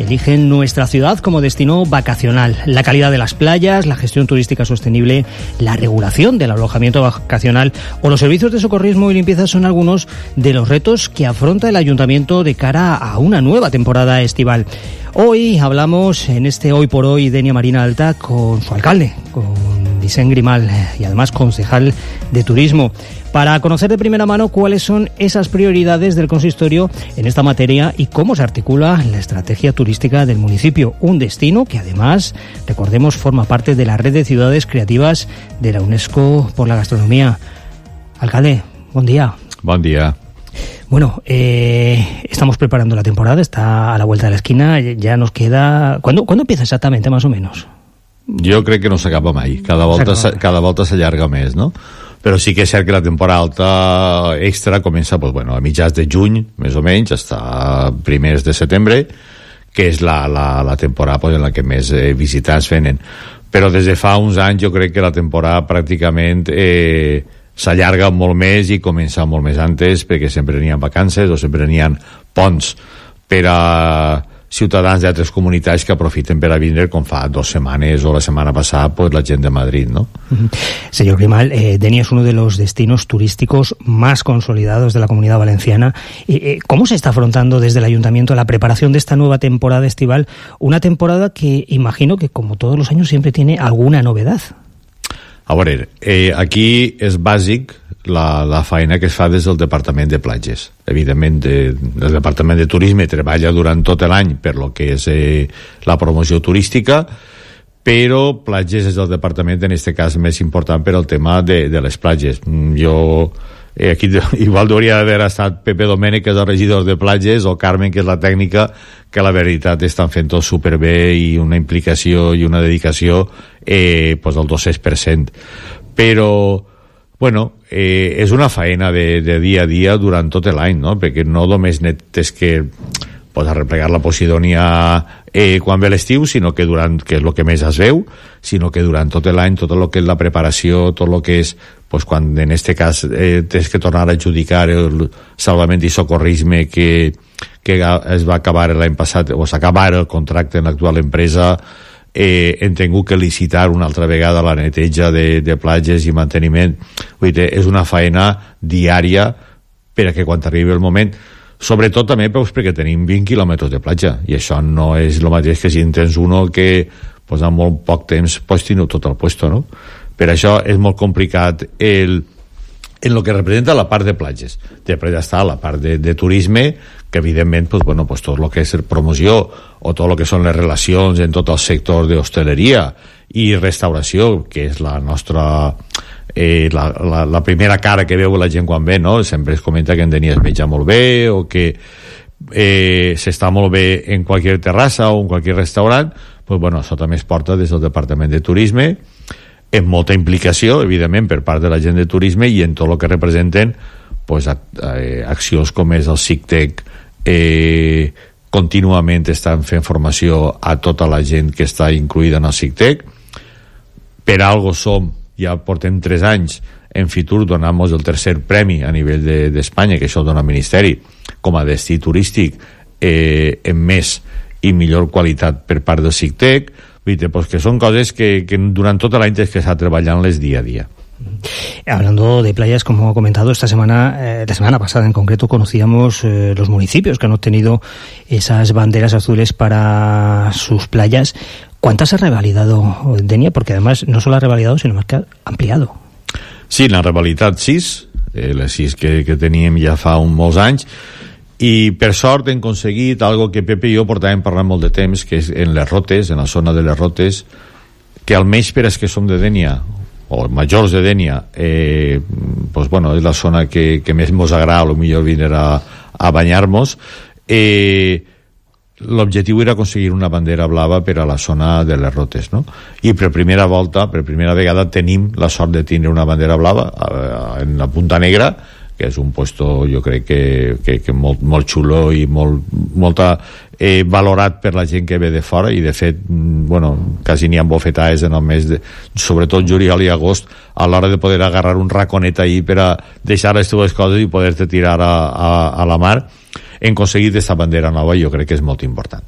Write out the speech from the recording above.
eligen nuestra ciudad como destino vacacional. La calidad de las playas, la gestión turística sostenible, la regulación del alojamiento vacacional o los servicios de socorrismo y limpieza son algunos de los retos que afronta el Ayuntamiento de cara a una nueva temporada estival. Hoy hablamos en este Hoy por Hoy Denia Marina Alta con su alcalde, con Vicent Grimal, y además concejal de Turismo, para conocer de primera mano cuáles son esas prioridades del consistorio en esta materia y cómo se articula la estrategia turística del municipio, un destino que además, recordemos, forma parte de la red de ciudades creativas de la UNESCO por la gastronomía. Alcalde, buen día. Buen día. Bueno, estamos preparando la temporada, está a la vuelta de la esquina, ya nos queda... ¿Cuándo empieza exactamente, más o menos? Jo crec que no s'acaba mai, cada volta s'allarga més, no? Però sí que és cert que la temporada alta extra comença a mitjans de juny, més o menys, hasta primers de setembre, que és la temporada en la que més visitants venen. Però des de fa uns anys jo crec que la temporada pràcticament s'allarga molt més i comença molt més antes, perquè sempre n'hi ha vacances o sempre n'hi ha ponts per a ciutadans d'altres comunitats que aprofiten per a vindre, com fa 2 setmanes o la setmana passada la gent de Madrid, ¿no? Señor Grimal, Denia es uno de los destinos turísticos más consolidados de la Comunidad Valenciana. ¿Cómo se está afrontando desde el Ayuntamiento la preparación de esta nueva temporada estival? Una temporada que imagino que, como todos los años, siempre tiene alguna novedad. A veure, aquí és bàsic la feina que es fa des del Departament de Platges. Evidentment, el Departament de Turisme treballa durant tot l'any per lo que és la promoció turística, però Platges és el departament, en aquest cas, més important per al tema de les platges. Jo... aquí igual hauria d'haver estat Pepe Domènech, que és el regidor de platges, o Carmen, que és la tècnica, que la veritat estan fent tot superbé i una implicació i una dedicació al 200%. Però és una faena de dia a dia durant tot l'any, no? Perquè no només és que arreplegar la Posidònia quan ve l'estiu, sinó que que és el que més es veu, sinó que durant tot l'any, tot el que és la preparació, tot el que és quan en aquest cas tens que tornar a adjudicar el salvament i socorrisme que es va acabar l'any passat, o s'acaba el contracte en l'actual empresa, hem tingut que licitar una altra vegada la neteja de platges i manteniment. Vull dir, és una faena diària per a que quan arribi el moment, sobretot també perquè tenim 20 quilòmetres de platja, i això no és el mateix que si en tens uno que en molt poc temps teniu tot el puesto, no? Per això és molt complicat en el que representa la part de platges. Després està la part de turisme, que evidentment tot el que és promoció o tot el que són les relacions en tot el sector d'hostaleria i restauració, que és la nostra la primera cara que veu la gent quan ve, no? Sempre es comenta que en Denia es menja molt bé o que s'està molt bé en qualsevol terrassa o en qualsevol restaurant. Això també es porta des del Departament de Turisme, amb molta implicació, evidentment, per part de la gent de turisme i en tot el que representen accions com és el SICTEC. Contínuament estan fent formació a tota la gent que està incluïda en el SICTEC. Per algo ja portem 3 anys en Fitur donant-nos el 3è premi a nivell d'Espanya, que això dona el Ministeri, com a destí turístic amb més i millor qualitat per part del SICTEC. Que son cosas que durante toda la gente que está trabajando día a día. Hablando de playas, como ha comentado, esta semana, la semana pasada en concreto, conocíamos los municipios que han obtenido esas banderas azules para sus playas. ¿Cuántas ha revalidado Denia? Porque además no solo ha revalidado, sino más que ha ampliado. Sí, la revalitat 6, les 6 que teníem ja fa molts anys, i per sort hem aconseguit algo que Pepe i jo portàvem parlant molt de temps, que és en les Rotes, en la zona de les Rotes, que almenys per als que som de Denia o majors de Denia, és la zona que més ens agrada, o millor vindre a banyar-nos. L'objectiu era aconseguir una bandera blava per a la zona de les Rotes, no? I per primera vegada tenim la sort de tindre una bandera blava en la Punta Negra, que és un puesto, jo crec que molt xulo i molt valorat per la gent que ve de fora, i de fet, quasi n'hi ha bofetades en el mes de, sobretot juliol i agost, a l'hora de poder agarrar un raconet ahí per a deixar les teves coses i poder-te tirar a la mar. Hem aconseguit aquesta bandera nova i jo crec que és molt important.